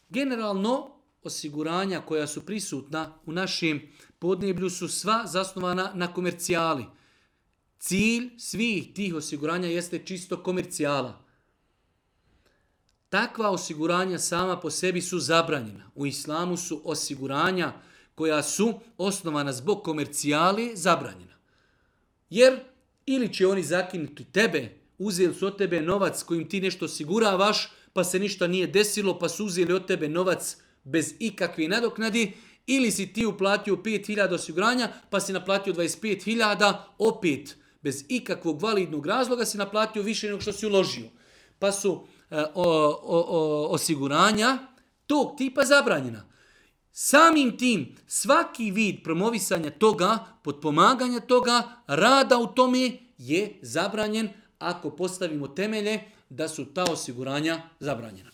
Generalno, osiguranja koja su prisutna u našem podneblju su sva zasnovana na komercijali. Cilj svih tih osiguranja jeste čisto komercijala. Takva osiguranja sama po sebi su zabranjena. U islamu su osiguranja koja su osnovana zbog komercijali zabranjena. Jer ili će oni zakinuti tebe, uzeli su od tebe novac kojim ti nešto osiguravaš, pa se ništa nije desilo, pa su uzeli od tebe novac bez ikakve nadoknadi, ili si ti uplatio 5.000 osiguranja, pa si naplatio 25.000, opet bez ikakvog validnog razloga si naplatio više nego što si uložio. Pa su osiguranja tog tipa zabranjena. Samim tim, svaki vid promovisanja toga, potpomaganja toga, rada u tome je zabranjen ako postavimo temelje da su ta osiguranja zabranjena.